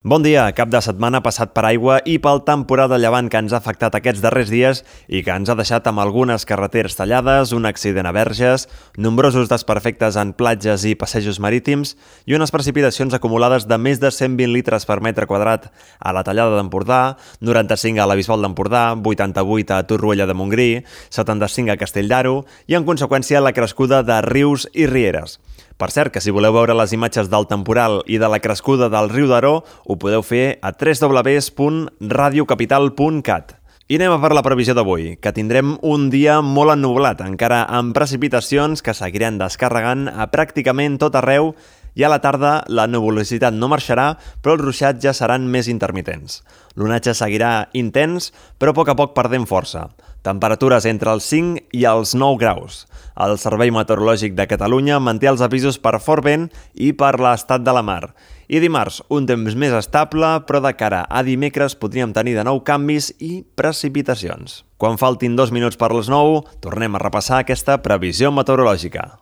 Bon dia, cap de setmana passat per aigua i pel temporal de llevant que ens ha afectat aquests darrers dies i que ens ha deixat amb algunes carreteres tallades, un accident a Verges, nombrosos desperfectes en platges i passejos marítims i unes precipitacions acumulades de més de 120 litres per metre quadrat a la Tallada d'Empordà, 95 a la Bisbal d'Empordà, 88 a Torroella de Montgrí, 75 a Castell d'Aro i, en conseqüència, la crescuda de rius i rieres. Per cert, que si voleu veure les imatges del temporal i de la crescuda del riu d'Aro, ho podeu fer a www.radiocapital.cat. I anem a per la previsió d'avui, que tindrem un dia molt ennublat, encara amb precipitacions que seguiran descarregant a pràcticament tot arreu i a la tarda la nuvolositat no marxarà, però els ruixats ja seran més intermitents. L'onatge seguirà intens, però a poc perdent força. Temperatures entre els 5 i els 9 graus. El Servei Meteorològic de Catalunya manté els avisos per fort vent i per l'estat de la mar. I dimarts, un temps més estable, però de cara a dimecres podríem tenir de nou canvis i precipitacions. Quan faltin 2 minuts per les 9, tornem a repassar aquesta previsió meteorològica.